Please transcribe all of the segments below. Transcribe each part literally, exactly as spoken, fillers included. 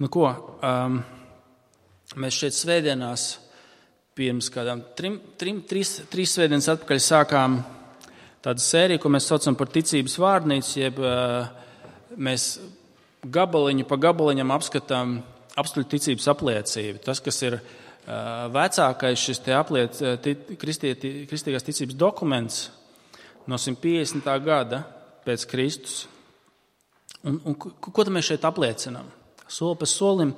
Nu ko, um, mēs šeit svētdienās pirms kādām trim, trim, trīs, trīs svētdienas atpakaļ sākām tādu sēriju, ko mēs saucam par ticības vārnīcu, jeb uh, mēs gabaliņu pa gabaliņam apskatām apstuļu ticības apliecību. Tas, kas ir uh, vecākais šis te apliec, t, kristieti, kristīgās ticības dokuments no simt piecdesmitā gada pēc Kristus. Un, un ko, ko tad mēs šeit apliecinām? Soli pa solim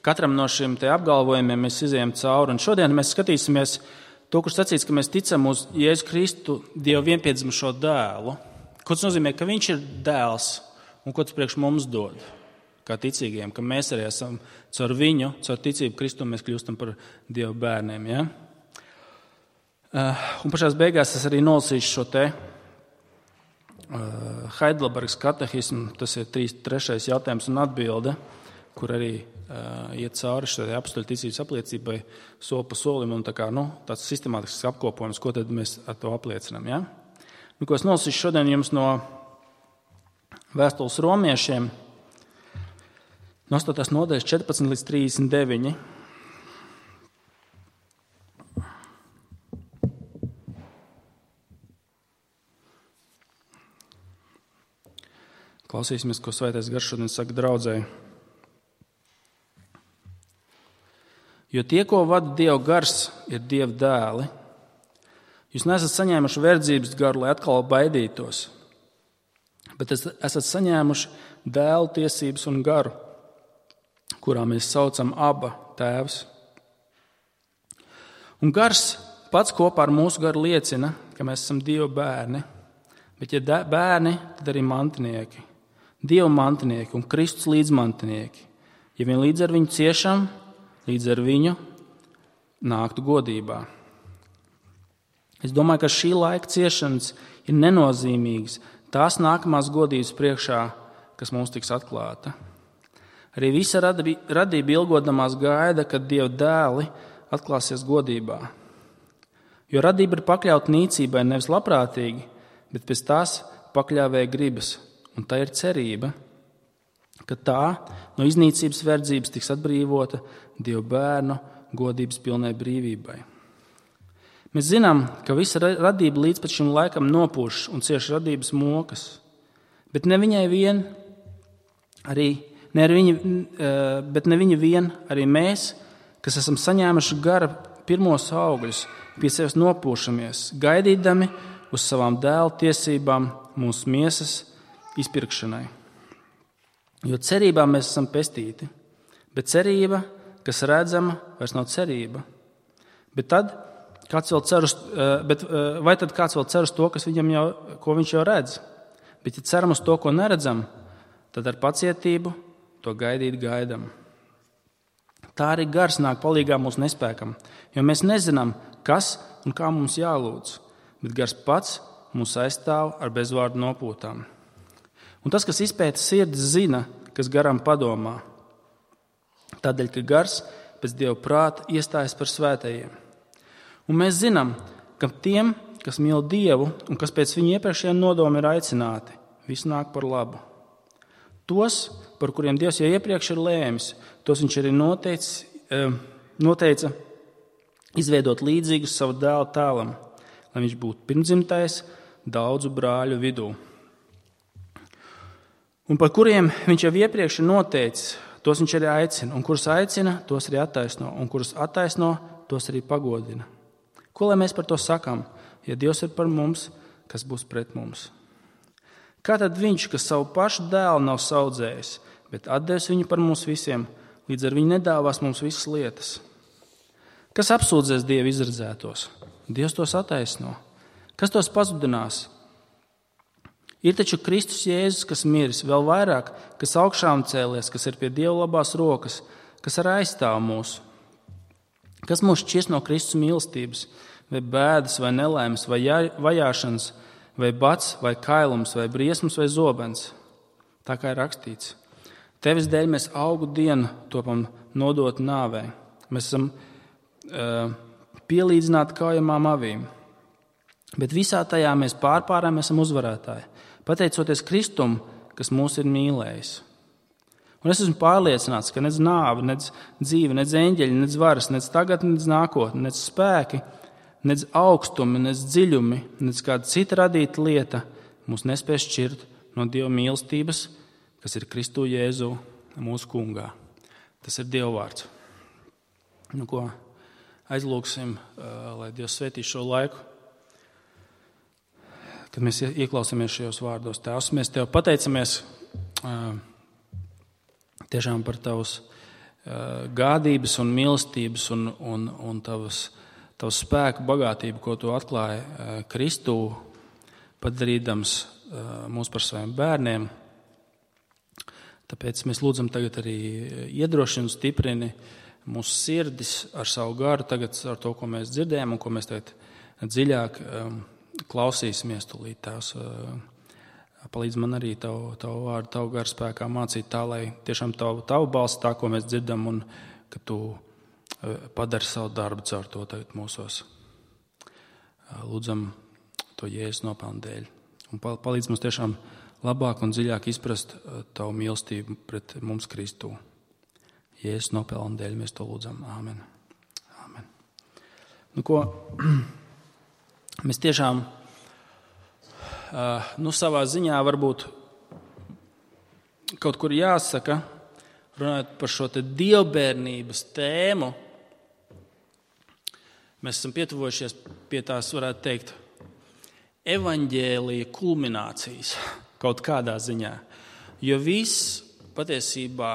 katram no šiem te apgalvojumiem mēs izejam cauri. Un šodien mēs skatīsimies to, kurš sacīts, ka mēs ticam uz Jēzu Kristu, Dievu vienpiedzimušo dēlu. Ko tas nozīmē, ka viņš ir dēls un ko tas priekš mums dod, kā ticīgiem, ka mēs arī esam caur viņu, caur ticību Kristu, mēs kļūstam par Dieva bērniem. Ja? Un pašās beigās es arī nolasīšu šo te Heidelbergas katehismu, tas ir trīs, trešais jautājums un atbilde, kur arī uh, iet cauri šai apstuļu ticības apliecībai soli pa solim un tā kā, nu, tāds sistemātisks apkopojums, ko tad mēs ar to apliecinām. Ja? Nu, ko es nolasīšu šodien jums no vēstules romiešiem, no astotās nodaļas četrpadsmit līdz trīsdesmit deviņi. Klausīsimies, ko Svētais Gars šodien saka draudzēji. Jo tie, ko vada Dieva gars, ir Dieva dēli. Jūs neesat saņēmuši verdzības garu, lai atkal baidītos, bet esat saņēmuši dēlu tiesības un garu, kurā mēs saucam Aba tēvs. Un gars pats kopā ar mūsu garu liecina, ka mēs esam Dieva bērni, bet ja bērni, tad arī mantinieki. Dieva mantinieki un Kristus līdzmantinieki. Ja vien līdz ar viņu ciešam, līdz ar viņu nāktu godībā. Es domāju, ka šī laika ciešanas ir nenozīmīgas tās nākamās godības priekšā, kas mums tiks atklāta. Arī visa radība ilgodamās gaida, kad Dieva dēli atklāsies godībā. Jo radība ir pakļauta nīcībai nevis labprātīgi, bet pēc tās pakļāvēja gribas. Un tā ir cerība, ka tā no iznīcības verdzības tiks atbrīvota Dieva bērnu godības pilnai brīvībai. Mēs zinām, ka visa radība līdz pat šim laikam nopūš un cieš radības mokas, bet ne viņai vien, arī, ne viņa, bet ne viņa vien, arī mēs, kas esam saņēmuši gara pirmos augļus, pie sevis nopūšamies, gaidīdami uz savām dēla tiesībām mūsu miesas izpirkšanai. Jo cerībā mēs esam pestīti, bet cerība, kas redzama, vairs nav cerība. Bet tad, kāds vēl cer uz, bet, vai tad kāds vēl cer uz to, kas viņam jau, ko viņš jau redz? Bet ja ceram uz to, ko neredzam, tad ar pacietību to gaidīt gaidam. Tā arī gars nāk palīgā mūsu nespēkam, jo mēs nezinām, kas un kā mums jālūdz, bet gars pats mūs aizstāv ar bezvārdu nopūtām. Un tas, kas izpēta sirdi, zina, kas garam padomā. Tādēļ, ka gars pēc Dieva prāta iestājas par svētajiem. Un mēs zinām, ka tiem, kas mīl Dievu un kas pēc viņa iepriekšējiem nodomiem ir aicināti, viss nāk par labu. Tos, par kuriem Dievs jau iepriekš ir lēmis, tos viņš arī noteica, noteica izveidot līdzīgus savu dēlu tēlam, lai viņš būtu pirmdzimtais daudzu brāļu vidū. Un par kuriem viņš jau iepriekš ir noteicis, tos viņš arī aicina, un kurus aicina, tos arī attaisno, un kurus attaisno, tos arī pagodina. Ko lai mēs par to sakām? Ja Dievs ir par mums, kas būs pret mums? Kā tad viņš, kas savu pašu dēlu nav saudzējis, bet atdevis viņu par mums visiem, līdz ar viņu nedāvās mums visas lietas? Kas apsūdzēs Dievu izredzētos? Dievs tos attaisno. Kas tos pazudinās? Ir taču Kristus Jēzus, kas miris, vēl vairāk, kas augšām cēlies, kas ir pie Dieva labās rokas, kas arī aizstāv mūs. Kas mūs šķirs no Kristus mīlestības, vai bēdas, vai nelaimes, vai vajāšanas, vai bats, vai kailums, vai briesmas, vai zobens. Tā kā ir rakstīts. Tevis dēļ mēs augu dienu topam nodot nāvei. Mēs esam uh, pielīdzināti kaujamām avīm. Bet visā tajā mēs pārpārām esam uzvarētāji. Pateicoties Kristum, kas mūs ir mīlējis. Un es esmu pārliecināts, ka nec nāve, nec dzīve, nec eņģeļi, nec varas, nec tagadne, nec nākotne, nec spēki, nec augstumi, nec dziļumi, nec kāda cita radīta lieta mūs nespēs šķirt no Dieva mīlestības, kas ir Kristu Jēzu mūsu kungā. Tas ir Dieva vārds. Nu, ko aizlūksim, lai Dievs svētī šo laiku, kad mēs ieklausāmies šajos vārdos. Tēvs, mēs Tev pateicamies tiešām par Tavas gādības un mīlestības un, un, un tavas, tavas spēku bagātību, ko Tu atklāji Kristū, padarīdams mūs par saviem bērniem. Tāpēc mēs lūdzam tagad arī iedrošinu, stiprini mūsu sirdis ar savu garu, tagad ar to, ko mēs dzirdējam un ko mēs tagad dziļāk klausīsimies tūlīt. Tēvs, palīdz man arī Tavu, tavu vārdu, Tavu garu spēkā mācīt tā, lai tiešām Tavu, tavu balsi tā, ko mēs dzirdam, un ka Tu padari savu darbu caur to tagad mūsos. Lūdzam to Jēzus nopelnu dēļ. Un palīdz mums tiešām labāk un dziļāk izprast Tavu mīlestību pret mums Kristū. Jēzus nopelnu dēļ mēs to lūdzam. Āmen. Āmen. Nu, ko, mēs tiešām nu, savā ziņā varbūt kaut kur jāsaka, runājot par šo te dievbērnības tēmu, mēs esam pietuvojušies pie tās, varētu teikt, evaņģēlija kulminācijas kaut kādā ziņā. Jo viss patiesībā,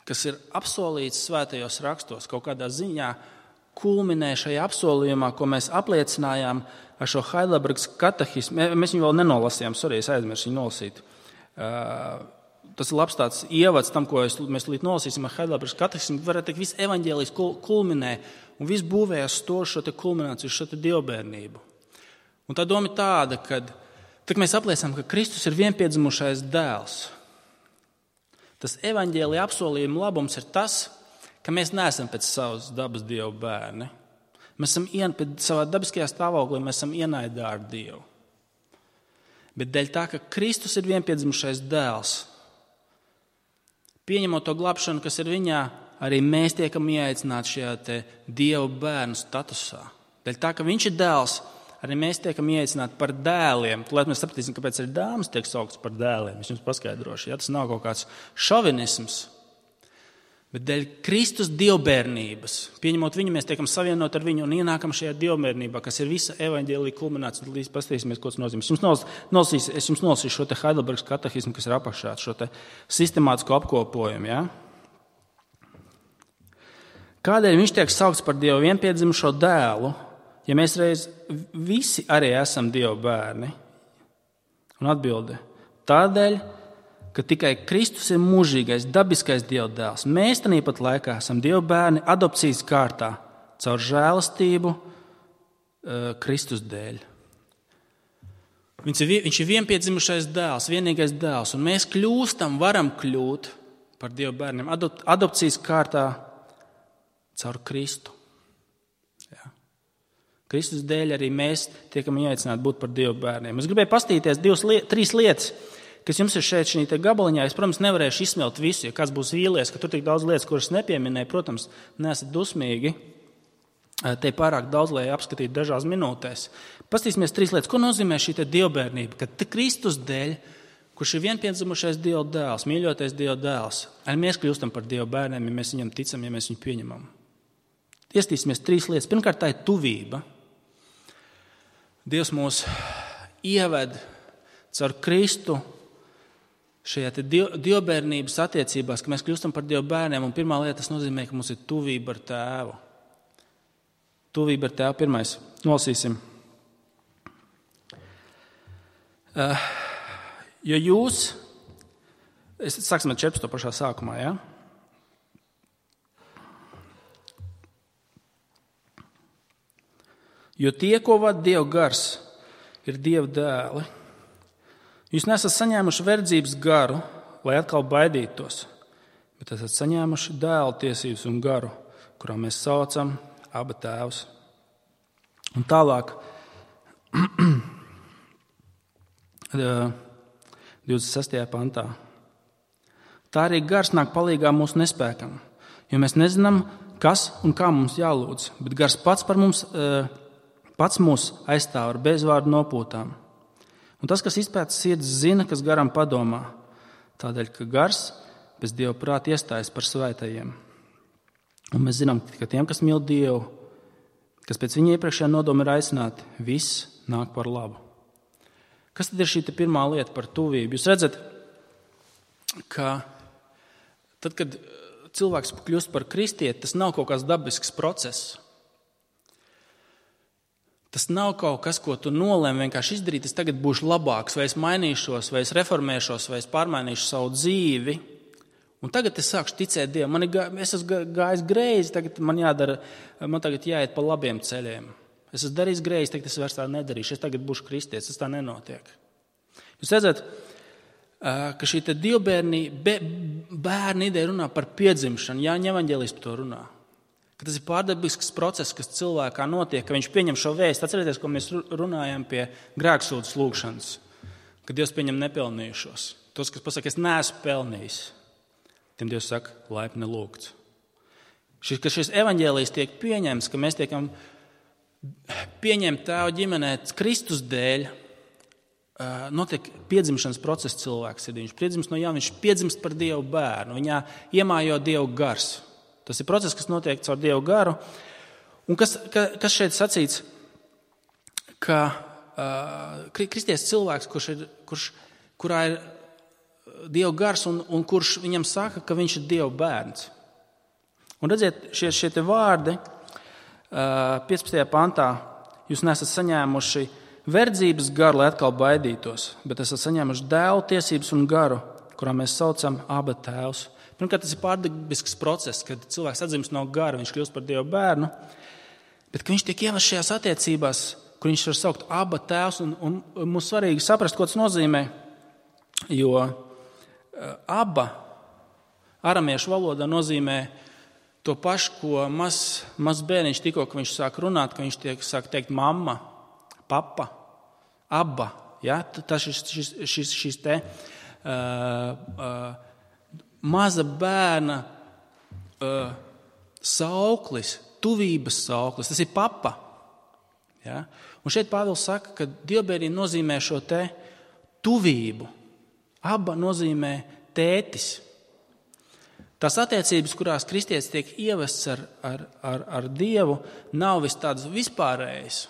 kas ir apsolīts svētajos rakstos, kaut kādā ziņā kulminē šajā apsolījumā, ko mēs apliecinājām ar šo Heidelbergas katehismu. Mēs viņu vēl nenolasījām, sorry, es aizmirsu viņu nolasīt. Tas ir labs tāds ievads tam, ko mēs līdz nolasīsim ar Heidelbergas katehismu. Varētu teikt, viss evaņģēlijs kulminē un viss būvējas to šo te kulmināciju, šo te dievbērnību. Un tā doma ir tāda, ka tad mēs apliecinām, ka Kristus ir vienpiedzimušais dēls. Tas evaņģēlija apsolījuma labums ir tas, ka mēs neesam pēc savas dabas Dieva bērni. Mēs esam ien, pēc savā dabiskajā stāvoklī, mēs esam ienaidā ar Dievu. Bet dēļ tā, ka Kristus ir vienpiedzimušais dēls, pieņemot to glābšanu, kas ir viņā, arī mēs tiekam ieaicināti šajā te Dieva bērnu statusā. Dēļ tā, ka viņš ir dēls, arī mēs tiekam ieaicināti par dēliem. Lai mēs sapratīsim, kāpēc arī dāmas tiek sauktas par dēliem. Es jums paskaidrošu. Ja? Tas nav kaut kāds šovinisms. Bet dēļ Kristus dievbērnības, pieņemot viņu, mēs tiekam savienot ar viņu un ienākam šajā dievbērnībā, kas ir visa evaņģēlija kulminācija. Līdz paskatīsimies, ko tas nozīmē. Es jums nolasīšu, es jums nolasīšu šo te Heidelbergas katehismu, kas ir apakšā, šo te sistemātisko apkopojumu. Ja? Kādēļ viņš tiek saukts par Dievu vienpiedzimušo dēlu, ja mēs reiz visi arī esam Dieva bērni? Un atbilde – tādēļ, ka tikai Kristus ir mūžīgais, dabiskais Dieva dēls. Mēs tāpat laikā esam Dieva bērni adopcijas kārtā caur žēlastību Kristus dēļ. Viņš ir, viņš ir vienpiedzimušais dēls, vienīgais dēls, un mēs kļūstam, varam kļūt par Dieva bērniem adop, adopcijas kārtā caur Kristu. Kristus dēļ arī mēs tiekam ieaicināti būt par Dieva bērniem. Es gribēju pastīties divas, liet, trīs lietas, kas jums ir šeit šī te gabaliņā. Es, protams, nevarēšu izsmelt visu, ja kāds būs vīlies, ka tur tik daudz lietas, kuras nepieminēju. Protams, neesat dusmīgi. Te pārāk daudz, lai apskatītu dažās minūtēs. Pastīsimies trīs lietas. Ko nozīmē šī te dievbērnība? Ka Kristus dēļ, kurš ir vienpiedzimušais Dieva dēls, mīļotais Dieva dēls, arī mēs kļūstam par Dieva bērniem, ja mēs viņam ticam, ja mēs viņu pieņemam. Iestīsimies trīs lietas. Pirmkārt, tā ir tuvība. Dievs mūs ieved caur Kristu šajā te diev, dievbērnības attiecībās, ka mēs kļūstam par Dieva bērniem, un pirmā lieta tas nozīmē, ka mums ir tuvība ar Tēvu. Tuvība ar Tēvu pirmais. Nolasīsim. Uh, jo jūs, es sāksim ar četrpadsmito pašā sākumā, ja? Jo tie, ko vada Dieva gars, ir Dieva dēli. Jūs nesat saņēmuši verdzības garu, lai atkal baidītos, bet esat saņēmuši dēla tiesības un garu, kurā mēs saucam Aba Tēvs. Un tālāk, divdesmit sestajā pantā. Tā arī gars nāk palīgā mūsu nespēkam, jo mēs nezinām, kas un kā mums jālūdz, bet gars pats, par mums, pats mūs aizstāv ar bezvārdu nopūtām. Un tas, kas izpēta sirds, zina, kas garam padomā, tādēļ, ka gars bez Dieva prāta iestājas par svētajiem. Un mēs zinām, ka tiem, kas mīl Dievu, kas pēc viņa iepriekšējā nodoma ir aicināti, viss nāk par labu. Kas tad ir šī pirmā lieta par tuvību? Jūs redzat, ka tad, kad cilvēks kļūst par kristieti, tas nav kaut kāds dabisks process. Tas nav kaut kas, ko tu nolēmi vienkārši izdarīt, es tagad būšu labāks, vai es mainīšos, vai es reformēšos, vai es pārmainīšu savu dzīvi. Un tagad es sākšu ticēt Dievam. Man ir, es esmu gājis greizi, tagad man jādara, man tagad jāiet pa labiem ceļiem. Es esmu darījis greizi, tagad es vairs tā nedarīšu, es tagad būšu kristietis, tas tā nenotiek. Jūs redzat, ka šī dievbērni, bērni ideja runā par piedzimšanu, Jāņa evaņģēlijs par to runā. Ka tas ir pārdabisks process, kas cilvēkā notiek, ka viņš pieņem šo vēstu. Atcerieties, ko mēs runājam pie grēksūdzes lūgšanas, ka Dievs pieņem nepelnījušos. Tos, kas pasaka, es neesmu pelnījis, tiem Dievs saka, laipni lūgts. Šis, ka šis evaņģēlijs tiek pieņemts, ka mēs tiekam pieņemt tēva ģimenē Kristus dēļ, notiek piedzimšanas process cilvēks. Viņš piedzimst no jauna, viņš piedzimst par Dievu bērnu, viņā iemājo Dievu gars. Tas ir process, kas notiek caur Dievu garu. Un kas, ka, kas šeit sacīts, ka uh, kristietis cilvēks, kurš ir, kurš, kurā ir Dievu gars un, un kurš viņam saka, ka viņš ir Dievu bērns. Un redziet, šie, šie te vārdi uh, piecpadsmitajā pantā, jūs nesat saņēmuši verdzības garu, lai atkal baidītos, bet esat saņēmuši dēlu tiesības un garu, kurā mēs saucam Aba tēvs. Pirmkārt, tas ir pārdabisks process, kad cilvēks atzimst no gara, viņš kļūst par Dievu bērnu, bet ka viņš tiek ievests šajās attiecībās, kur viņš var saukt Aba tēvs, un, un, un mums svarīgi saprast, ko tas nozīmē, jo Aba aramiešu valodā nozīmē to pašu, ko mazs maz bērniņš tikko, ka viņš sāk runāt, ka viņš tiek, sāk teikt mamma, papa, Aba. Ja? Tas šis, šis, šis, šis te uh, uh, maza bērna uh, sauklis, tuvības sauklis, tas ir papa. Ja? Un šeit Pāvils saka, ka dievbērnība nozīmē šo te tuvību. Aba nozīmē tētis. Tās attiecības, kurās kristietis tiek ievests ar, ar, ar, ar Dievu, nav vis tādas vispārējas,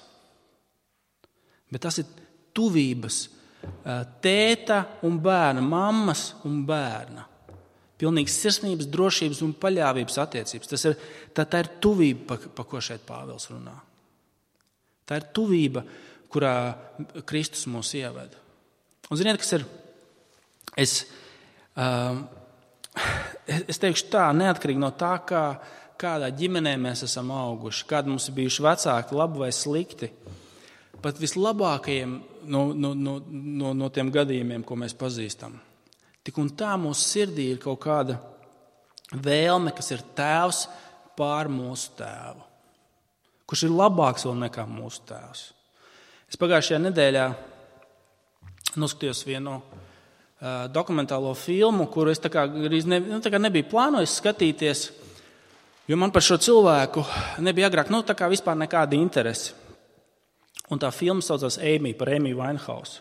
bet tas ir tuvības tēta un bērna, mammas un bērna. Pilnīgas sirsnības, drošības un paļāvības attiecības. Tas ir, tā, tā ir tuvība, pa, pa ko šeit Pāvils runā. Tā ir tuvība, kurā Kristus mūs ieved. Un ziniet, kas ir? Es, um, es teikšu tā, neatkarīgi no tā, kā, kādā ģimenē mēs esam auguši, kādi mums ir bijuši vecāki, labi vai slikti, pat vislabākajiem no, no, no, no, no tiem gadījumiem, ko mēs pazīstam. Tik un tā mūsu sirdī ir kaut kāda vēlme, kas ir tēvs pār mūsu tēvu, kurš ir labāks vēl nekā mūsu tēvs. Es pagājušajā nedēļā noskatījos vienu uh, dokumentālo filmu, kuru es tā kā, ne, nu, tā kā nebiju plānojis skatīties, jo man par šo cilvēku nebija agrāk nu, tā kā vispār nekāda interese. Un tā filma saucās Amy, par Amy Winehouse.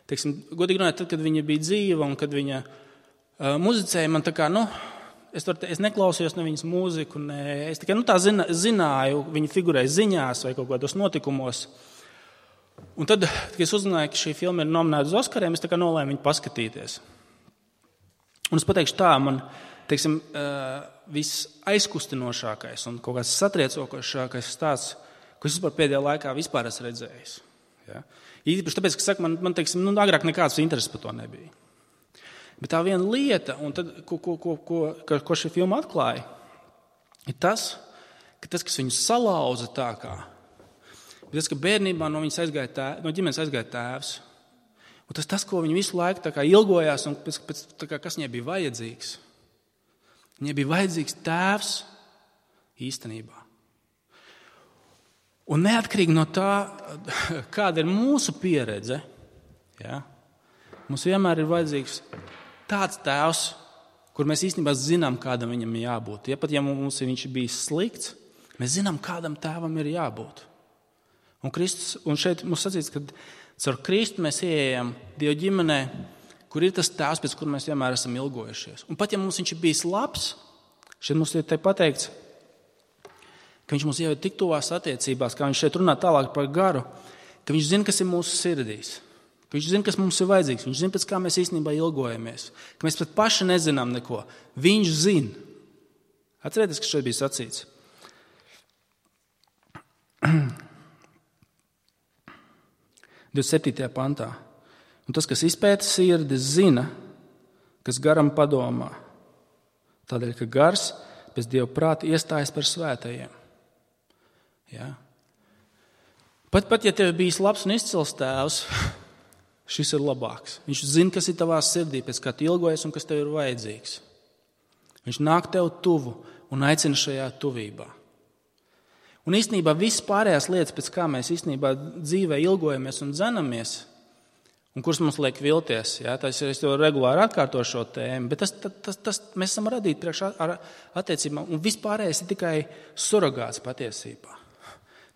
Teiksim, godīgi runājot, tad, kad viņa bija dzīva un kad viņa uh, muzicēja, man tā kā, nu, es, var, es neklausījos ne viņas mūziku, ne, es tikai, nu, tā zina, zināju, viņa figurēja ziņās vai kaut kādos notikumos. Un tad, kad es uzzināju, ka šī filma ir nominēta uz Oskariem, es tā kā nolēmu viņu paskatīties. Un es pateikšu tā, man, teiksim, uh, viss aizkustinošākais un kaut kāds satriecošākais stāsts, ko es vispār pēdējā laikā vispār esmu redzējis. Ja? Īpaši tāpēc, ka saka, man, man teiksim, nu, agrāk nekāds intereses par to nebija. Bet tā viena lieta, un tad, ko, ko, ko, ko, ko šī filma atklāja, ir tas, ka tas, kas viņu salauza tā kā, ir tas, ka bērnībā no, aizgāja tēv, no ģimenes aizgāja tēvs. Un tas, tas, ko viņi visu laiku tā kā ilgojās, un pēc, pēc, tā kā, kas viņai bija vajadzīgs. Viņai bija vajadzīgs tēvs īstenībā. Un neatkarīgi no tā, kāda ir mūsu pieredze, ja, mums vienmēr ir vajadzīgs tāds tēvs, kur mēs īstenībā zinām, kādam viņam jābūt. Ja pat ja mums viņš ir bijis slikts, mēs zinām, kādam tēvam ir jābūt. Un, Kristus, un šeit mums sacīts, ka caur Kristu mēs ieejam Dieva ģimenē, kur ir tas tēvs, pēc kur mēs vienmēr esam ilgojušies. Un pat ja mums viņš ir bijis labs, šeit mums ir te pateikts, ka viņš mums ieved tik tuvās attiecībās, kā viņš šeit runā tālāk par garu, ka viņš zina, kas ir mūsu sirdīs, ka viņš zina, kas mums ir vajadzīgs, viņš zina, pēc kā mēs īstenībā ilgojamies, ka mēs pat paši nezinām neko. Viņš zina. Atcerieties, kas šeit bija sacīts. divdesmit septītajā pantā. Un tas, kas izpēta sirdi, zina, kas garam padomā. Tādēļ, ka gars pēc Dieva prāta iestājas par svētajiem. Ja? Pat, pat, ja tev bijis labs un izcils tēvs, šis ir labāks. Viņš zina, kas ir tavā sirdī, pēc kā tu ilgojies un kas tev ir vajadzīgs. Viņš nāk tev tuvu un aicina šajā tuvībā. Un īstenībā viss pārējās lietas, pēc kā mēs īstenībā dzīvē ilgojamies un dzenamies, un kuras mums liek vilties, ja, tas es to regulāri atkārtošu šo tēmu, bet tas, tas, tas mēs esam radīti priekš ar attiecībām, un viss pārējais ir tikai surrogāts patiesībā.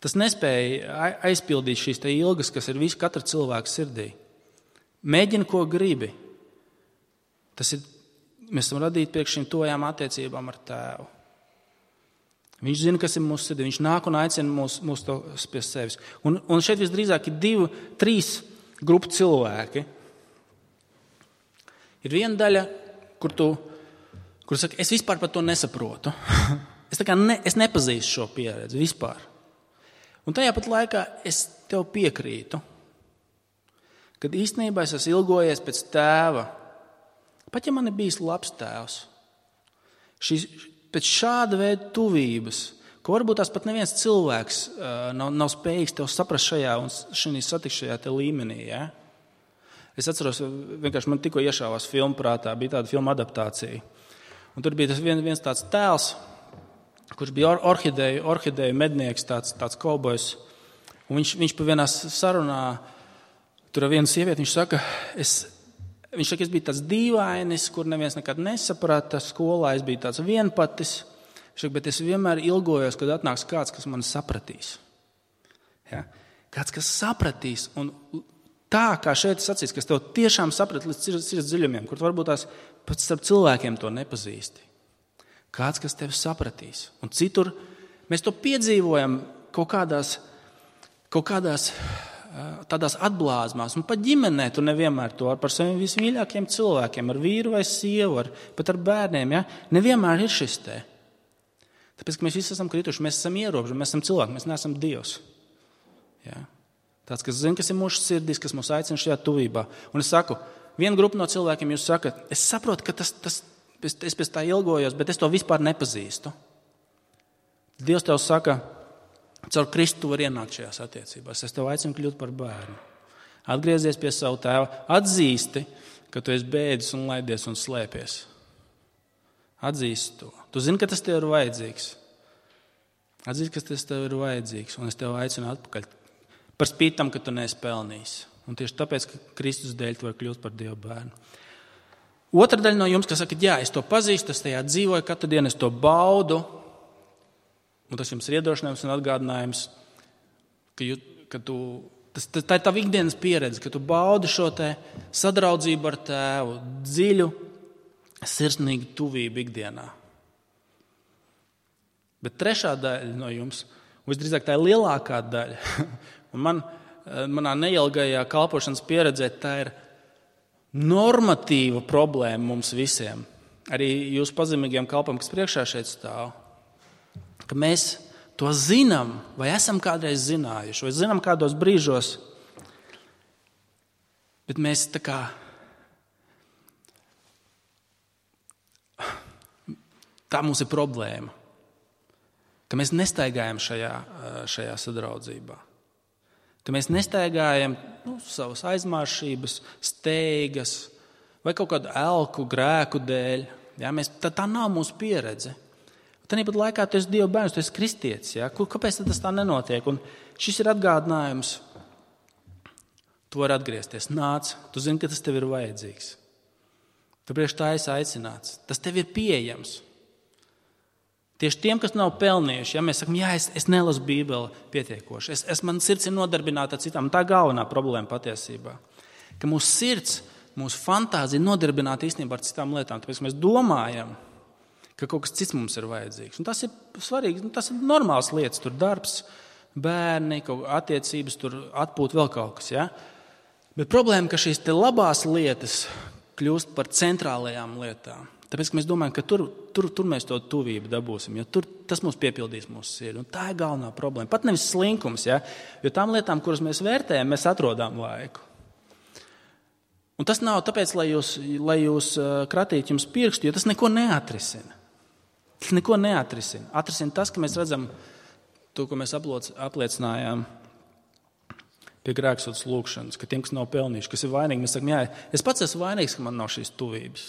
Tas nespēja aizpildīt šīs te ilgas, kas ir visu katra cilvēka sirdī. Mēģini, ko gribi. Tas ir, mēs esam radīti priekš šīm tojām attiecībām ar tēvu. Viņš zina, kas ir mūsu sirdī. Viņš nāk un aicina mūs, mūs to pie sevis. Un, un šeit visdrīzāk ir divi, trīs grupu cilvēki. Ir viena daļa, kur tu, kur saka, es vispār par to nesaprotu. Es, tā kā ne, es nepazīstu šo pieredzi vispār. Un tajā pat laikā es tev piekrītu, kad īstenībā es esmu ilgojies pēc tēva. Pat ja man ir bijis labs tēvs, šis, pēc šāda veida tuvības, ko varbūt tās pat neviens cilvēks uh, nav, nav spējīgs tev saprast šajā un šajā satikšajā te līmenī. Ja? Es atceros, vienkārši man tikko iešāvās filmu prātā, bija tāda filma adaptācija. Un tur bija tas vien, viens tāds tēls, kurš bija or, orhideju, orhideju mednieks, tāds, tāds kaubojs. Un viņš, viņš pa vienā sarunā, tur ar vienu sievieti, viņš saka, es... Viņš saka, es biju tāds dīvainis, kur neviens nekad nesaprata. Skolā es biju tāds vienpatis. Viņš saka, bet es vienmēr ilgojos, kad atnāks kāds, kas mani sapratīs. Ja? Kāds, kas sapratīs. Un tā, kā šeit sacīs, kas tev tiešām saprat līdz sirds dziļumiem, kur varbūt tās pat starp cilvēkiem to nepazīsti. Kāds, kas tevi sapratīs. Un citur mēs to piedzīvojam kaut kādās, kaut kādās tādās atblāzmās, un pat ģimenē tu nevienmēr to ar par saviem vismīļākiem cilvēkiem, ar vīru vai sievu, ar, pat ar bērniem, ja? Nevienmēr ir šis te. Tāpēc, ka mēs visi esam krituši, mēs esam ierobežoti, mēs esam cilvēki, mēs neesam Dievs. Ja? Tāds, kas zina, kas ir mūsu sirdīs, kas mūs aicina šajā tuvībā. Un es saku, viena grupa no cilvēkiem jūs sakat, es saprotu, ka tas, tas, es pēc tā ilgojos, bet es to vispār nepazīstu. Dievs tev saka, caur Kristu var ienākt šajās attiecībās. Es tev aicinu kļūt par bērnu. Atgriezies pie savu tēva. Atzīsti, ka tu esi bēdis un laidies un slēpies. Atzīsti to. Tu zini, ka tas tev ir vajadzīgs. Atzīsti, ka tas tev ir vajadzīgs. Un es tev aicinu atpakaļ. Par spīti tam, ka tu neesi pelnījis. Un tieši tāpēc, ka Kristus dēļ tu vari kļūt par Dieva bērnu. Otra daļa no jums, kas saka, jā, es to pazīstu, es tajā dzīvoju, katru dienu es to baudu. Un tas jums ir iedošanājums un atgādinājums, ka, jū, ka tu, tas, tā ir tava ikdienas pieredze, ka tu baudi šo te sadraudzību ar tēvu, dziļu, sirsnīgu tuvību ikdienā. Bet trešā daļa no jums, un visdrīzāk tā ir lielākā daļa, un man, manā neilgajā kalpošanas pieredzē tā ir normatīva problēma mums visiem. Arī jūsu pazemīgiem kalpam, kas priekšā šeit stāv. Ka mēs to zinām, vai esam kādreiz zinājuši, vai zinām kādos brīžos, bet mēs tā kā tā mums ir problēma, ka mēs nestaigājam šajā, šajā sadraudzībā, ka mēs nestaigājam nu, savas aizmāršības, steigas vai kaut kādu elku, grēku dēļ. Ja, mēs, tā, tā nav mūsu pieredze. Tāpat laikā tu esi Dieva bērns, tu esi kristietis. Ja? Kāpēc tas tā nenotiek? Un šis ir atgādinājums. Tu vari atgriezties. Nāc, tu zini, ka tas tev ir vajadzīgs. Tu priekš tā esi aicināts. Tas tev ir pieejams. Tieši tiem, kas nav pelnījuši, ja mēs sakam, jā, es, es nelasu Bībeli pietiekoši, es, es man sirds ir nodarbināta ar citām. Tā galvenā problēma patiesībā. Ka mūsu sirds, mūsu fantāzija nodarbināta īstenībā ar citām lietām. Tāpēc mēs domājam, ka kaut kas cits mums ir vajadzīgs. Un tas ir svarīgi, tas ir normāls lietas, tur darbs, bērni, kaut attiecības, tur atpūt vēl kaut kas. Ja? Bet problēma, ka šīs te labās lietas kļūst par centrālajām lietām. Tāpēc, ka mēs domājam, ka tur, tur, tur mēs to tuvību dabūsim, jo tur tas mums piepildīs mūsu sirdi. Un tā ir galvenā problēma. Pat nevis slinkums, ja? Jo tām lietām, kuras mēs vērtējam, mēs atrodām laiku. Un tas nav tāpēc, lai jūs, lai jūs kratītu jums pirkstu, jo tas neko neatrisina. Tas neko neatrisina. Atrisina tas, ka mēs redzam to, ko mēs apliecinājām pie grēksotas lūkšanas, ka tiem, kas nav pelnījuši, kas ir vainīgi, mēs sakam, jā, es pats esmu vainīgs, ka man nav šīs tuvības.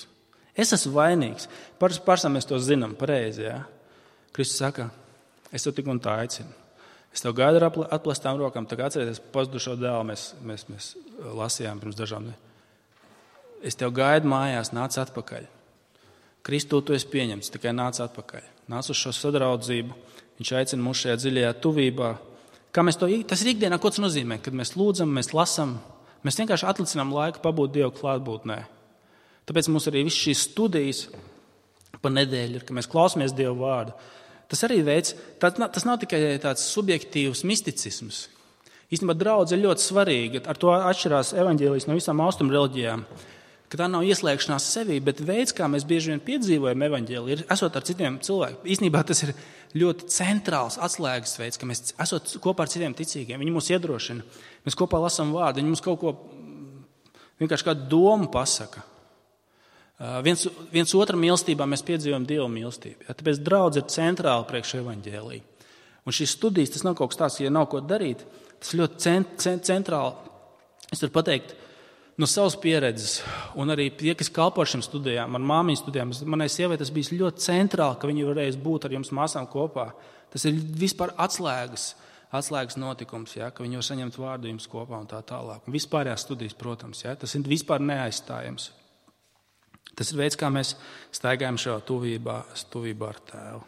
Es esmu vainīgs. Pašam mēs to zinām pareizi. Ja? Kristus saka, es tev tik un tā aicinu. Es tev gaidu ar atplestām rokām. Tagad atcerieties, pazudušo dēlu mēs, mēs, mēs lasījām pirms dažām. Es tev gaidu mājās, nāc atpakaļ. Kristu tu esi pieņemts, tikai nāc atpakaļ. Nāc uz šo sadraudzību. Viņš aicina mūs šajā dziļajā tuvībā. Kā mēs to, tas ir ikdienā, ko tas nozīmē? Kad mēs lūdzam, mēs lasam, mēs vienkārši atlicinām laiku pabūt Dievu klātbūtnē. Tāpēc mums arī viss šīs studijas pa nedēļu ir, ka mēs klausāmies Dievu vārdu. Tas arī veids, tā, tas nav tikai tāds subjektīvs misticisms. Īstenībā draudze ir ļoti svarīga. Ar to atšķirās evaņģēlijas no visām austrumu reliģijām, ka tā nav ieslēgšanās sevī, bet veids, kā mēs bieži vien piedzīvojam evaņģēliju, ir esot ar citiem cilvēkiem. Īstenībā tas ir ļoti centrāls atslēgas veids, ka mēs esot kopā ar citiem ticīgiem. Viņi mūs iedrošina. Mēs kopā lasām vārdu, viņi mums kaut ko vienkārši kādu domu pasaka. Viens, viens otram mīlestībā mēs piedzīvojam Dieva mīlestību. Ja, tāpēc draudze ir centrāla priekš evaņģēlija. Un šīs studijas, tas nav kaut kas tāds, ja nav ko darīt, tas ļoti cent, cent, centrāli. Es varu pateikt no savas pieredzes, un arī tie, kas kalpo šim studijām, ar māmiņu studijām, manai sievai tas bija ļoti centrāli, ka viņi varēs būt ar jums māsām kopā. Tas ir vispār atslēgas, atslēgas notikums, ja, ka viņi var saņemt vārdu jums kopā un tā tālāk. Un vispārējās studijas, protams, ja, tas ir vispār neaizstājams. Tas ir veids, kā mēs staigājam šajā tuvībā, tuvībā ar Tēvu.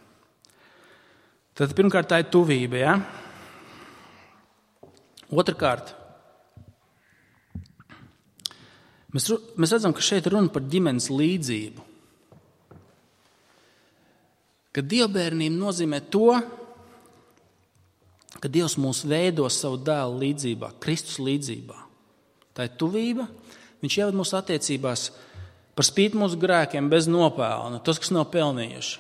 Tad pirmkārt tā ir tuvība. Ja? Otrakārt, mēs, mēs redzam, ka šeit runa par ģimenes līdzību. Ka dievbērnība nozīmē to, ka Dievs mūs veido savu dēlu līdzībā, Kristus līdzībā. Tā ir tuvība. Viņš ieved mūsu attiecībās par spīti mūsu grēkiem, bez nopelna, tos, kas nav pelnījuši.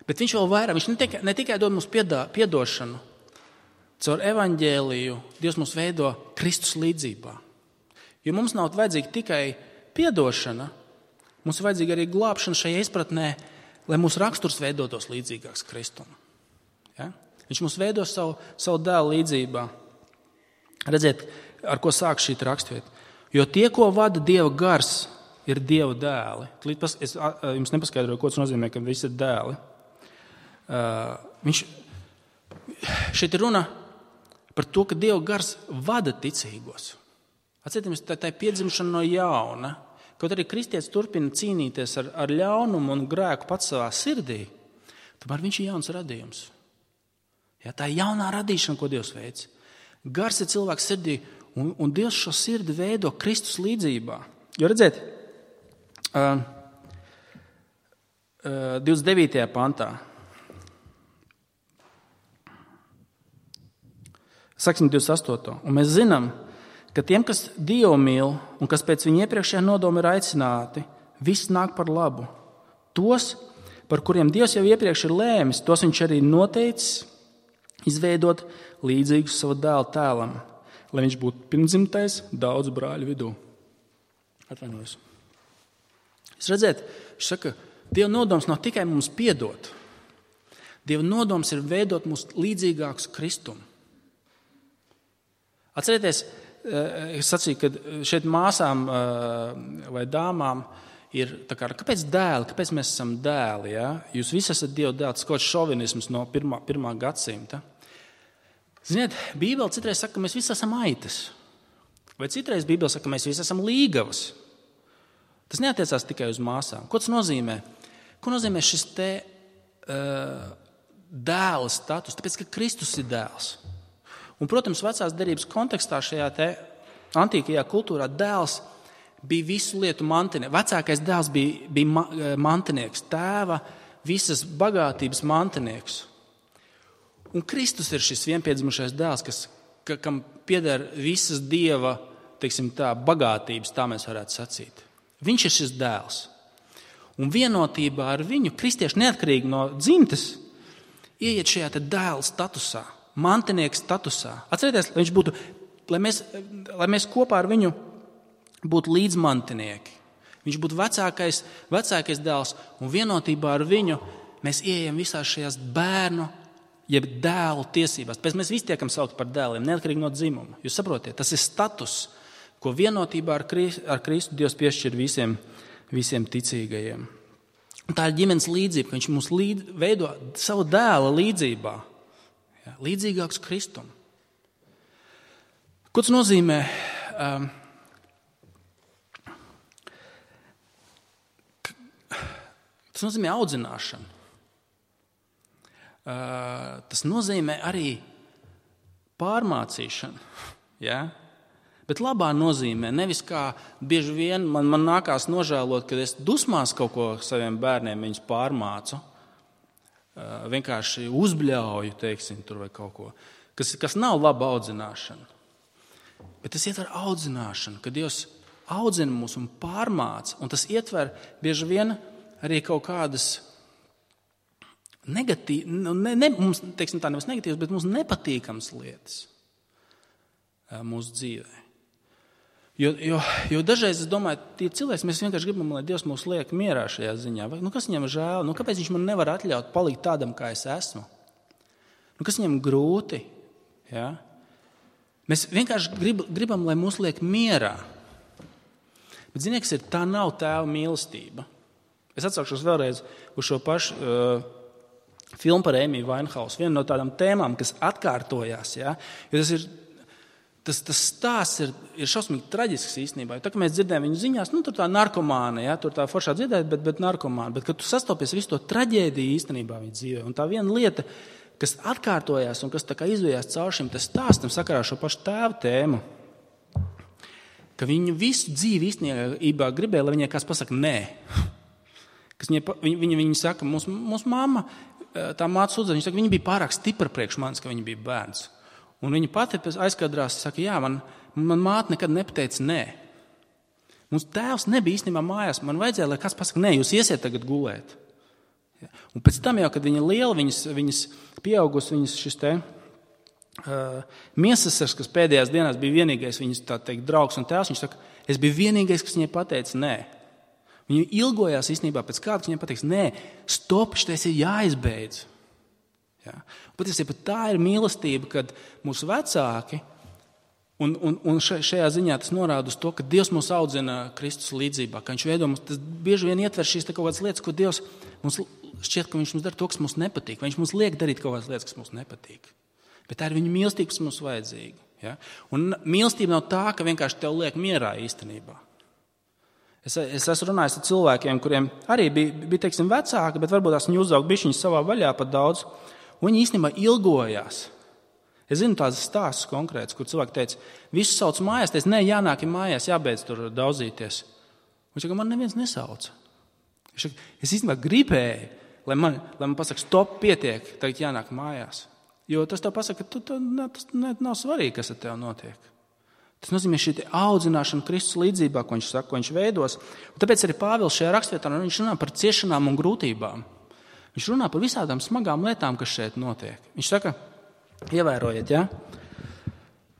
Bet viņš vēl vairāk, viņš ne tikai, ne tikai dod mums piedā, piedošanu, caur evaņģēliju Dievs mūs veido Kristus līdzībā. Jo mums nav vajadzīga tikai piedošana, mums ir vajadzīga arī glābšana šajā izpratnē, lai mūsu raksturs veidotos līdzīgāks Kristum. Ja? Viņš mūs veido savu, savu dēlu līdzībā. Redziet, ar ko sāk šī rakstvieta. Jo tie, ko vada Dieva gars, ir Dieva dēli. Es jums nepaskaidroju, ko tas nozīmē, ka visi ir dēli. Viņš šeit ir runa par to, ka Dieva gars vada ticīgos. Atcerieties, tā ir piedzimšana no jauna. Kaut arī kristietis turpina cīnīties ar, ar ļaunumu un grēku pats savā sirdī, tomēr viņš ir jauns radījums. Ja, tā ir jaunā radīšana, ko Dievs veic. Gars ir cilvēks sirdī, un, un Dievs šo sirdi veido Kristus līdzībā. Jo redziet, Uh, uh, divdesmit devītajā pantā. Sāksim divdesmit astoto. Un mēs zinām, ka tiem, kas Dievu mīl un kas pēc viņa iepriekšējā nodoma ir aicināti, viss nāk par labu. Tos, par kuriem Dievs jau iepriekš ir lēmis, tos viņš arī noteicis izveidot līdzīgus savu dēlu tēlam, lai viņš būtu pirmdzimtais daudzu brāļu vidū. Atvainojos. Jūs redzēt, viņš saka, Dieva nodoms nav tikai mums piedot. Dieva nodoms ir veidot mūs līdzīgākus Kristum. Atcerieties, es sacīju, ka šeit māsām vai dāmām ir, tā kā, kāpēc dēli, kāpēc mēs esam dēli? Ja? Jūs visi esat Dieva dēli, tas kaut kāds šovinisms no pirmā, pirmā gadsimta. Ziniet, Bībele citreiz saka, ka mēs visi esam aitas. Vai citreiz Bībele saka, ka mēs visi esam līgavas. Tas neatiecās tikai uz māsām. Ko tas nozīmē? Ko nozīmē šis te uh, dēla status? Tāpēc, ka Kristus ir dēls. Un, protams, vecās derības kontekstā šajā te antīkajā kultūrā dēls bija visu lietu mantinieks. Vecākais dēls bija, bija mantinieks, tēva visas bagātības mantinieks. Un Kristus ir šis vienpiedzimušais dēls, kas, ka, kam pieder visas Dieva, teiksim tā, bagātības, tā mēs varētu sacīt. Viņš ir šis dēls. Un vienotībā ar viņu kristieši neatkarīgi no dzimtes ieiet šajā te dēla statusā, mantinieka statusā. Atcerieties, lai viņš būtu, lai mēs, lai mēs kopā ar viņu būtu līdzmantinieki. Viņš būtu vecākais, vecākais dēls, un vienotībā ar viņu mēs ieejam visās šajās bērnu, jeb dēlu tiesībās. Pēc mēs visi tiekam saukt par dēliem, neatkarīgi no dzimuma. Jūs saprotiet, tas ir status, ko vienotībā ar Kristu, ar Kristu Dievs piešķir visiem, visiem ticīgajiem. Un tā ir ģimenes līdzība, ka viņš mūs līd, veido savu dēla līdzībā. Jā, līdzīgāks Kristum. Ko tas nozīmē? Um, Tas nozīmē audzināšanu. Uh, tas nozīmē arī pārmācīšanu. Ja? Bet labā nozīmē, nevis kā bieži vien man, man nākās nožēlot, kad es dusmās kaut ko saviem bērniem viņus pārmācu. Uh, vienkārši uzbļauju, teiksim, tur vai kaut ko. Kas, kas nav laba audzināšana. Bet tas ietver audzināšanu, kad Dievs audzina mūs un pārmāca. Un tas ietver bieži vien arī kaut kādas negatīvas, ne, ne, mums, teiksim tā, nevis negatīvas, bet mums nepatīkamas lietas mūsu dzīvē. Jo, jo, jo dažreiz, es domāju, tie cilvēki, mēs vienkārši gribam, lai Dievs mūs liek mierā šajā ziņā. Vai, nu, kas viņam ir žēl? Nu, kāpēc viņš man nevar atļaut palikt tādam, kā es esmu? Nu, kas viņam grūti? Ja? Mēs vienkārši grib, gribam, lai mūs liek mierā. Bet ziniet, kas ir, tā nav tēva mīlestība. Es atsaukšos vēlreiz uz šo pašu uh, filmu par Amy Winehouse. Viena no tādām tēmām, kas atkārtojās. Ja? Jo tas, ir, tas, tas stāsts ir, ir šausmīgi traģisks īstenībā. Tā, kad mēs dzirdējam viņu ziņās, nu, tur tā narkomāna, ja? Tur tā foršā dzirdēt, bet, bet narkomāna. Bet, kad tu sastopies visu to traģēdiju īstenībā viņa dzīvē, un tā viena lieta, kas atkārtojās un kas tā kā izvijās caur šim stāstam sakarā šo pašu tēvu tēmu, ka viņu visu dzīvi īstenībā gribēja, lai viņai kāds pasaka nē. Kas viņa, viņa, viņa saka, mūsu, mūsu mamma, tā māca sūdzē, viņa saka, viņa bija pārāk stipra priekš manis, ka viņa bija bērns. Un viņa pati aizkadrās, saka, jā, man, man māte nekad nepateica nē. Mums tēvs nebija īstenībā mājās, man vajadzēja, lai kāds pasaka, nē, jūs iesiet tagad gulēt. Un pēc tam jau, kad viņa liela, viņas, viņas pieaugus, viņas šis te uh, miesasars, kas pēdējās dienās bija vienīgais viņas, tā teikt, draugs un tēvs, viņš saka, es biju vienīgais, kas viņai pateica nē. Viņa ilgojās īstenībā pēc kāda, kas viņai pateiks, nē, stop, šitais ir jāizbeidz. Ja? Patiesībā tā ir mīlestība, kad mūsu vecāki, un, un, un šajā ziņā tas norāda uz to, ka Dievs mūs audzina Kristus līdzībā, ka viņš veido mums, tas bieži vien ietver šīs kaut kādas lietas, ko Dievs mums šķiet, ka viņš mums dara to, kas mums nepatīk, vai viņš mums liek darīt kaut kādas lietas, kas mums nepatīk. Bet tā ir viņa mīlestība, kas mums vajadzīga. Ja? Un mīlestība nav tā, ka vienkārši tev liek mierā īstenībā. Es, es esmu runājis ar cilvēkiem, kuriem arī bija, bija teiksim, vecāki, bet varbūt tās viņi uzauga bišķiņas savā vaļā pat daudz, un viņi īstenībā ilgojās. Es zinu tādas stāstus konkrētas, kur cilvēki teica, visu sauc mājās, teica, nē, jānāk ir mājās, jābeidz tur daudzīties. Viņš saka, man neviens nesauca. Viņš saka, es īstenībā gribēju, lai man, lai man pasaka, stop, pietiek, tagad jānāk mājās. Jo tas tev pasaka, ka tu, tu, tas nav svarīgi, kas ar tev notiek. Tas nozīmē šī audzināšana Kristus līdzībā, ko viņš saka, ko viņš veidos. Un tāpēc arī Pāvils šajā rakstvietā viņš runā par ciešanām un grūtībām. Viņš runā par visādām smagām lietām, kas šeit notiek. Viņš saka, ievērojiet, ja?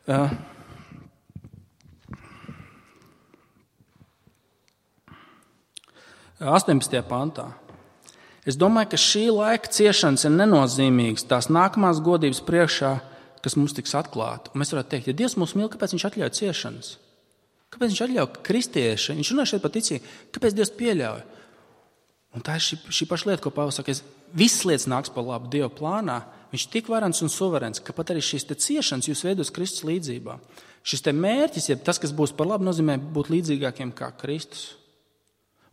Uh, astoņpadsmitajā pantā. Es domāju, ka šī laika ciešanas ir nenozīmīgas tās nākamās godības priekšā, kas mums tiks atklāta. Un mēs varētu teikt, ja Dievs mūs mīl, kāpēc viņš atļauj ciešanas? Kāpēc viņš atļauj kristieši? Viņš runā šeit par ticību. Kāpēc Dievs pieļauj? Un tā ir šī, šī paša lieta, ko Pāvils saka, visas lietas nāks par labu Dieva plānā. Viņš tik varens un suverens, ka pat arī šīs te ciešanas jūs veidos Kristus līdzībā. Šis te mērķis, ja tas, kas būs par labu, nozīmē būt līdzīgākiem kā Kristus.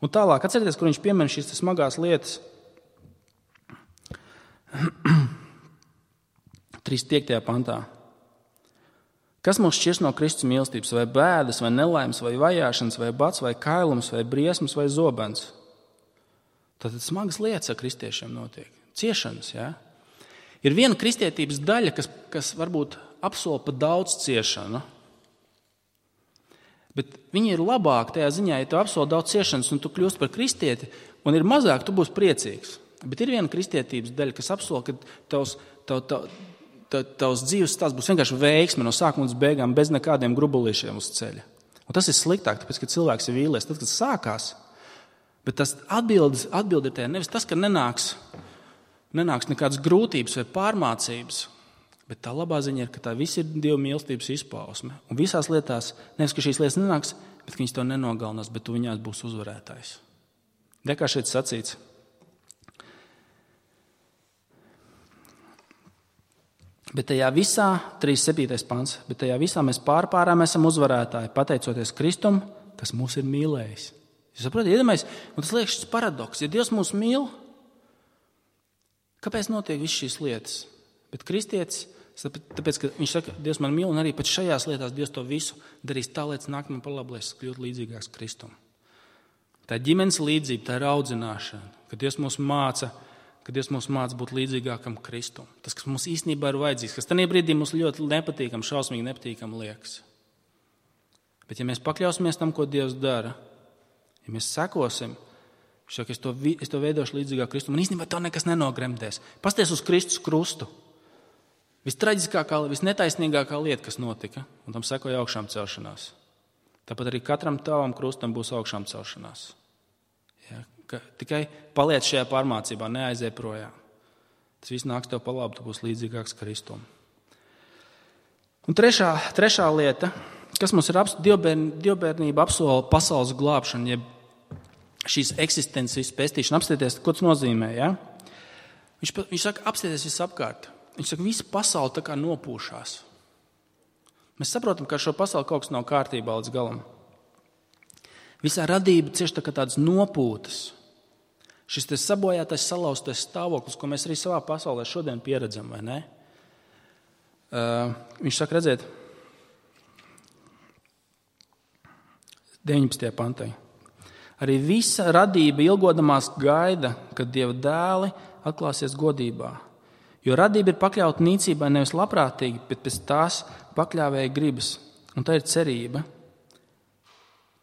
Un tālāk, atcerieties, kur viņš piemin šīs smagās lietas. trīsdesmit piektajā pantā. Kas mūs šķirs no Kristus mīlestības, vai bēdas, vai nelaimes, vai vajāšanas, vai bats, vai kailums, vai briesmas, vai zobens? Tātad smagas lietas ar kristiešiem notiek. Ciešanas, jā. Ir viena kristietības daļa, kas, kas varbūt apsola pa daudz ciešanu. Bet viņi ir labāk tajā ziņā, ja tu apsoli daudz ciešanas un tu kļūst par kristieti, un ir mazāk, tu būsi priecīgs. Bet ir viena kristietības daļa, kas apsola, ka tavs, tav, tav, tav, tavs dzīves stāsts būs vienkārši veiksme no sākuma līdz beigām, bez nekādiem grubulīšiem uz ceļa. Un tas ir sliktāk, tāpēc, ka cilvēks ir vīlies, tad, kad sākās. Bet tas atbildes, atbildi ir tajā nevis tas, ka nenāks, nenāks nekādas grūtības vai pārmācības, bet tā labā ziņa ir, ka tā viss ir Dieva mīlestības izpausme. Un visās lietās, nevis, ka šīs lietas nenāks, bet ka viņas to nenogalinās, bet tu viņās būs uzvarētājs. De kā šeit sacīts. Bet tajā visā, trīsdesmit septītais pants, bet tajā visā mēs pārpārām esam uzvarētāji, pateicoties Kristum, kas mūs ir mīlējis. Jūs saprotat, iedomājies, un tas liekas šis paradoks. Ja Dievs mūs mīl, kāpēc notiek viss šīs lietas? Bet kristietis, tāpēc, ka viņš saka, Dievs man mīl, un arī pat šajās lietās Dievs to visu darīs tā, lai nāk man par labu, lai es kļūtu līdzīgāks Kristum. Tā ir ģimenes līdzība, tā ir audzināšana, ka Dievs mūs māca, ka Dievs mūs māca būt līdzīgākam Kristum. Tas, kas mums īstenībā ir vajadzīgs, kas tajā brīdī mums ļoti nepatīkam, šausmīgi nepatīkam liekas. Bet ja mēs pakļausimies tam, ko Dievs dara, ja mēs sekosim, viņš saka, es to, es to veidošu līdzīgāk Kristum, un īstenībā to nekas nenogremdēs. Pasties uz Kristus krustu. Vistraģiskākā, visnetaisnīgākā lieta, kas notika, un tam sekoja augšām celšanās. Tāpat arī katram tavam krustam būs augšām celšanās. Ja, ka tikai paliec šajā pārmācībā, neaiziet projām. Tas viss nāks tev pa labu, tu būsi līdzīgāks Kristum. Un trešā, trešā lieta, kas mums ir dievbērn, dievbērnība apsola pasaules glābšanu, jeb šīs eksistencijas pestīšana. Apstieties, ko tas nozīmē. Ja? Viņš, viņš saka, apstieties viss apkārt. Viņš saka, visa pasaule tā kā nopūšās. Mēs saprotam, ka ar šo pasauli kaut kas nav kārtībā līdz galam. Visā radība cieši tā kā tādas nopūtas. Šis te sabojātais, salauztais stāvoklis, ko mēs arī savā pasaulē šodien pieredzam, vai ne? Uh, viņš saka, redziet, deviņpadsmitajā pantā. Arī visa radība ilgodamās gaida, kad Dieva dēli atklāsies godībā. Jo radība ir pakļauta nīcībai nevis labprātīgi, bet pēc tās pakļāvēja gribas. Un tā ir cerība,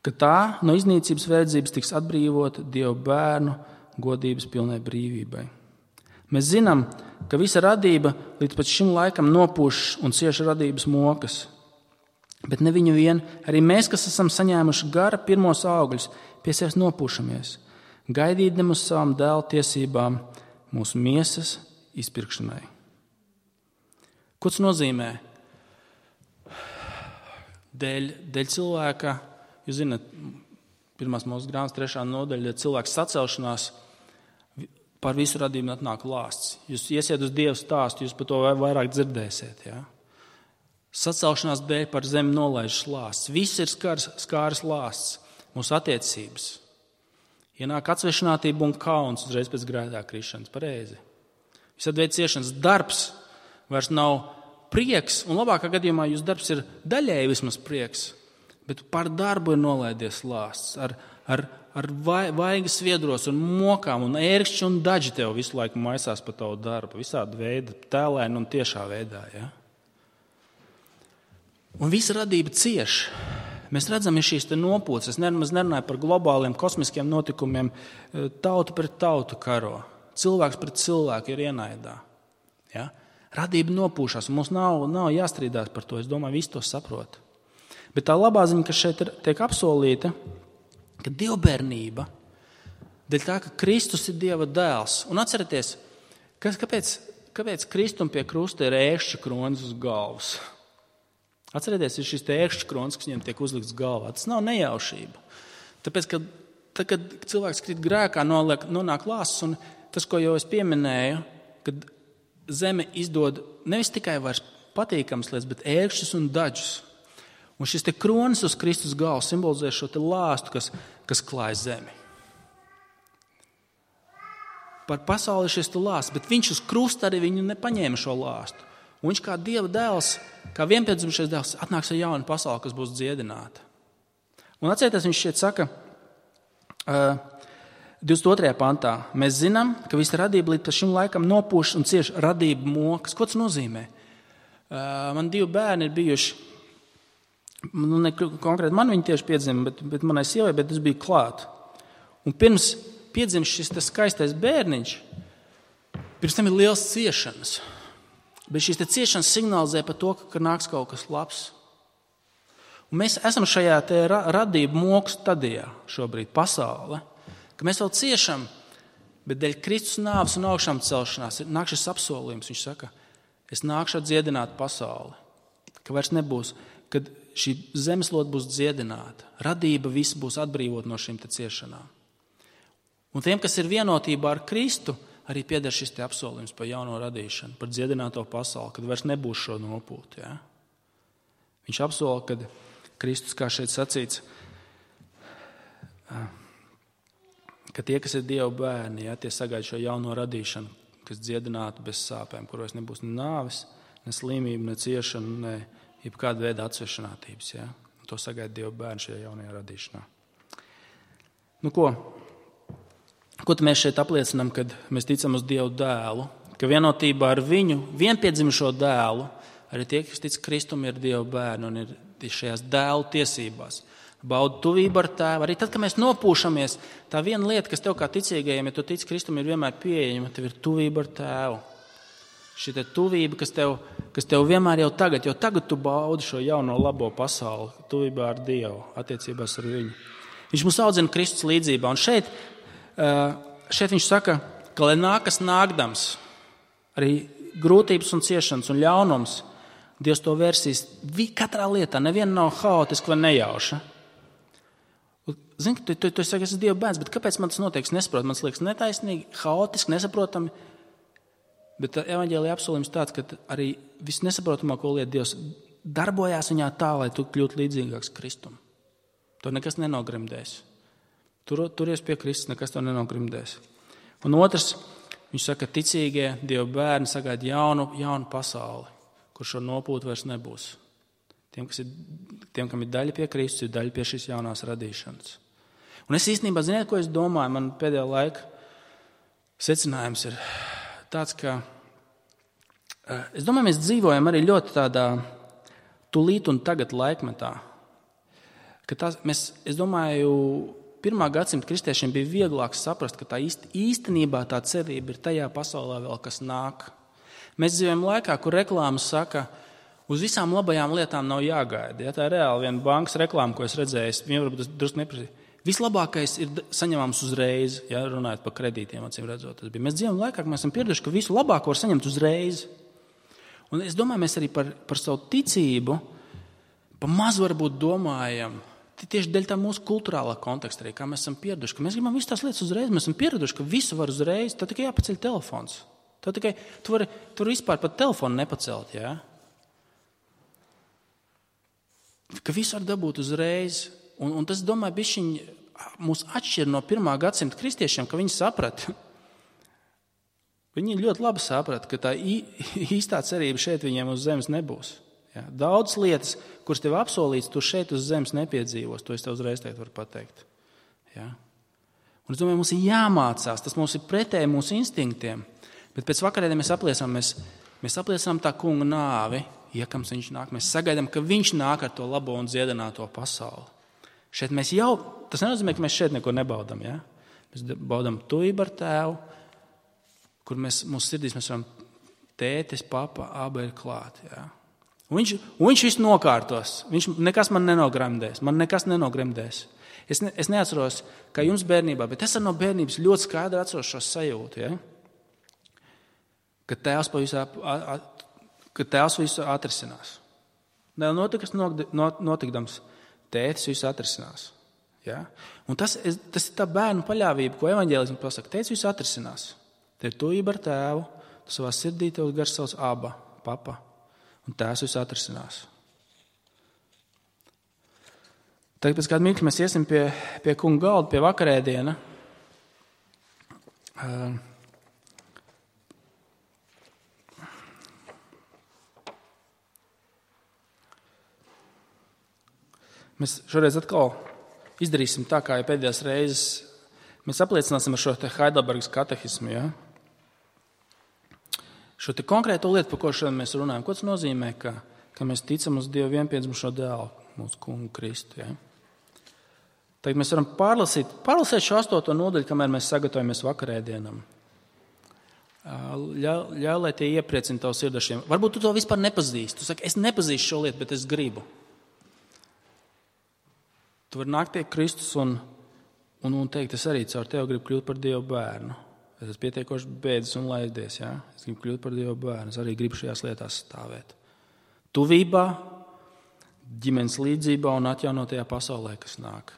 ka tā no iznīcības verdzības tiks atbrīvota Dieva bērnu godības pilnai brīvībai. Mēs zinām, ka visa radība līdz pat šim laikam nopūš un cieši radības mokas. Bet ne viņu vien, arī mēs, kas esam saņēmuši gara pirmos augļus, pie sevis nopūšamies, gaidīdam uz savām dēla tiesībām mūsu miesas izpirkšanai. Ko tas nozīmē? Dēļ, dēļ cilvēka, jūs zināt, pirmās mūsu grāmatas trešā nodaļa, cilvēks sacelšanās, par visu radību atnāk lāsts. Jūs iesiet uz Dievu stāstu, jūs par to vairāk dzirdēsiet. Ja? Sacelšanās dēļ par zemi nolaižas lāsts. Viss ir skars, skārs lāsts, mūsu attiecības. Ienāk atsvešinātība un kauns uzreiz pēc grēkā krišanas, pareizi. Visādi veidi ciešanas darbs vairs nav prieks, un labākā gadījumā jūsu darbs ir daļēji vismaz prieks, bet par darbu ir nolaidies lāsts ar, ar, ar vaigas sviedros un mokām, un ērkšķi un daži tev visu laiku maisās pa tavu darbu, visādi veidi, tēlēni un tiešā veidā. Ja? Un visa radība cieš. Mēs redzam, ir šīs te nopūces. Es nemaz nerunāju par globāliem kosmiskiem notikumiem, tauta pret tautu karo. Cilvēks pret cilvēku ir ienaidā. Ja? Radība nopūšās, un mums nav, nav jāstrīdās par to. Es domāju, visi to saprot. Bet tā labā ziņa, kas šeit ir, tiek apsolīta, ka dievbērnība, dēļ tā, ka Kristus ir Dieva dēls. Un atcerieties, kas, kāpēc, kāpēc Kristum pie krusta ir ēkšķa kronis uz galvas? Atcerieties, ir šis te ēkšķa kronis, kas viņam tiek uzlikts galvā. Tas nav nejaušība. Tāpēc, ka tad, kad cilvēks krīt grēkā, noliek, nonāk lāsts, un tas, ko jau es pieminēju, kad zeme izdod nevis tikai vairs patīkams lietas, bet ērkšķus un daļus. Un šis te kronis uz Kristus galvas simbolizē šo te lāstu, kas, kas klāj zemi. par pasauli šis tu lāsts, bet viņš uz krusta arī viņu nepaņēma šo lāstu. Un viņš kā Dieva dēls, kā vienpiedzimušais dēls, atnāks ar jaunu pasauli, kas būs dziedināta. Un atcerieties, viņš šeit saka, uh, divdesmit otrajā pantā, mēs zinām, ka visa radība līdz šim laikam nopūš un cieš radību mokas. Ko tas nozīmē? Uh, man divi bērni ir bijuši, nu, ne konkrēti man viņi tieši piedzima, bet, bet manai sievai, bet es biju klāt. Un pirms piedzimst šis tas skaistais bērniņš, pirms tam ir liels ciešanas. Bet šīs ciešanas signalizē par to, ka nāks kaut kas labs. Un mēs esam šajā te ra- radību moku stadijā šobrīd pasaule, ka mēs vēl ciešam, bet dēļ Kristus nāves un augšām celšanās nāk šis apsolījums. Viņš saka, es nākšu dziedināt pasauli, ka vairs nebūs, kad šī zemeslode būs dziedināta, radība viss būs atbrīvot no šīm te ciešanām. Un tiem, kas ir vienotībā ar Kristu, arī pieder šis te apsolījums par jauno radīšanu, par dziedināto pasauli, kad vairs nebūs šo nopūtu. Ja? Viņš apsola, kad Kristus, kā šeit sacīts, ka tie, kas ir Dieva bērni, ja, tie sagaida šo jauno radīšanu, kas dziedinātu bez sāpēm, kuros nebūs ne nāves, ne slimība, ne ciešana, ne jebkāda veida atsvešinātības. Ja? To sagaida Dieva bērni šajā jaunajā radīšanā. Nu ko? Ko mēs šeit apliecinām, kad mēs ticam uz Dievu dēlu, ka vienotībā ar viņu vienpiedzimušo dēlu, arī tie, kas tic Kristum, ir Dieva bērni un ir šajās dēlu tiesībās. Bauda tuvību ar tēvu. Arī tad, kad mēs nopūšamies, tā viena lieta, kas tev kā ticīgajiem, ja tu tici Kristum, ir vienmēr pieejama, tev ir tuvība ar tēvu. Šī te tuvība, kas tev, kas tev vienmēr jau tagad, jo tagad tu baudi šo jauno labo pasauli, tuvībā ar Dievu, attiecībās ar viņu. Viņš mūs audzina Kristus līdzībā. Un šeit, šeit viņš saka, ka lai nākas nākdams, arī grūtības un ciešanas un ļaunums, Dievs to vērsīs katrā lietā, neviena nav haotiska vai nejauša. Zini, tu, tu, tu saki, es esmu Dieva bērns, bet kāpēc man tas notiek? Es nesaprotu, man liekas netaisnīgi, haotiski, nesaprotami. Bet evaņģēlija apsolījums tāds, ka arī viss nesaprotamāko lietu Dievs darbojās viņā tā, lai tu kļūtu līdzīgāks Kristum. To nekas nenogrimdēs. Tur, turies pie Kristus, nekas to nenogrimdēs. Un otrs, viņš saka, ticīgie Dieva bērni sagaida jaunu, jaunu pasauli, kur šo nopūtu vairs nebūs. Tiem, kas ir, tiem, kam ir daļa pie Kristus, ir daļa pie šīs jaunās radīšanas. Un es īstenībā, ziniet, ko es domāju, man pēdējā laika secinājums ir tāds, ka es domāju, mēs dzīvojam arī ļoti tādā tulīt un tagad laikmetā. Ka tās, mēs, es domāju, pirmā gadsimta kristiešiem bija vieglāk saprast, ka tā īst, īstenībā tā cerība ir tajā pasaulē vēl, kas nāk. Mēs dzīvojam laikā, kur reklāmas saka, uz visām labajām lietām nav jāgaida. Ja, tā ir reāli viena bankas reklāma, ko es redzēju, viņam varbūt tas drusku neprasīja. Vislabākais ir saņemams uzreiz, ja runājot par kredītiem, acīm redzot. Tas bija. Mēs dzīvojam laikā, ka mēs esam pieraduši, ka visu labāko var saņemt uzreiz. Un es domāju, mēs arī par, par savu ticību pa maz varbūt domājam, tieši dēļ tā mūsu kulturālā konteksta arī, kā mēs esam pieraduši, ka mēs gribam visu tās lietas uzreiz, mēs esam pieraduši, ka visu var uzreiz, tad tikai jāpaceļ telefons. Tad tikai, tu vari, tu vari vispār pat telefonu nepacelt, jā? Ka visu var dabūt uzreiz. Un, un tas, domāju, bišķiņ mūs atšķir no pirmā gadsimta kristiešiem, ka viņi saprata. Viņi ļoti labi saprata, ka tā īstā cerība šeit viņiem uz zemes nebūs. Ja? Daudz lietas, kuras tev apsolīts, tu šeit uz zemes nepiedzīvos. To es tev uzreiz teikt varu pateikt. Ja? Un es domāju, mums ir jāmācās. Tas mums ir pretēji mūsu instinktiem. Bet pēc vakarēdiem mēs apliecinām, mēs, mēs apliecinām tā kunga nāvi, iekams viņš nāk. Mēs sagaidām, ka viņš nāk ar to labo un dziedināto pasauli. Šeit mēs jau, tas nenozīmē, ka mēs šeit neko nebaudam. Ja? Mēs baudam tuvību ar tēvu, kur mēs, mūsu sirdīs mēs varam tētis, papa, abi ir klāt. Ja? Un viņš, un viņš visu nokārtos. Viņš nekas man nenogremdēs. Man nekas nenogremdēs. Es, ne, es neatceros, kā jums bērnībā, bet es no bērnības ļoti skaidri atceros šo sajūtu. Ja? Ka tēvs, visu, ka tēvs visu atrisinās. Vēl notikas notikdams, tētis visu atrisinās. Ja? Un tas, tas ir tā bērnu paļāvība, ko evaņģēlisms pasaka. Tētis visu atrisinās. Te ir tuvība ar tēvu, tu savā sirdī tev gar savs aba, papa, un tēvs visu atrisinās. Tagad pēc kāda mirkļa mēs iesim pie, pie kunga galda, pie vakarēdiena. Mēs šoreiz atkal izdarīsim tā, kā jau pēdējās reizes. Mēs apliecināsim ar šo te Heidelbergas katehismu. Ja? Šo te konkrēto lietu, par ko šodien mēs runājam, ko tas nozīmē, ka, ka mēs ticam uz Dievu vienpiedzimušo dēlu, mūsu kungu Kristu. Ja? Tagad mēs varam pārlasīt, pārlasīt šo astoto nodaļu, kamēr mēs sagatavojamies vakarēdienam. Ļauj, ļa, lai tie iepriecina tavu sirdašiem. Varbūt tu to vispār nepazīsti. Tu saki, es nepazīstu šo lietu, bet es gribu. Tu vari nākt pie Kristus un, un, un teikt, es arī caur tevi gribu kļūt par Dieva bērnu. Es esmu pietiekoši bēdzis un laidies. Ja? Es gribu kļūt par Dieva bērnu. Es arī gribu šajās lietās stāvēt. Tuvībā, ģimenes līdzībā un atjaunotajā pasaulē, kas nāk.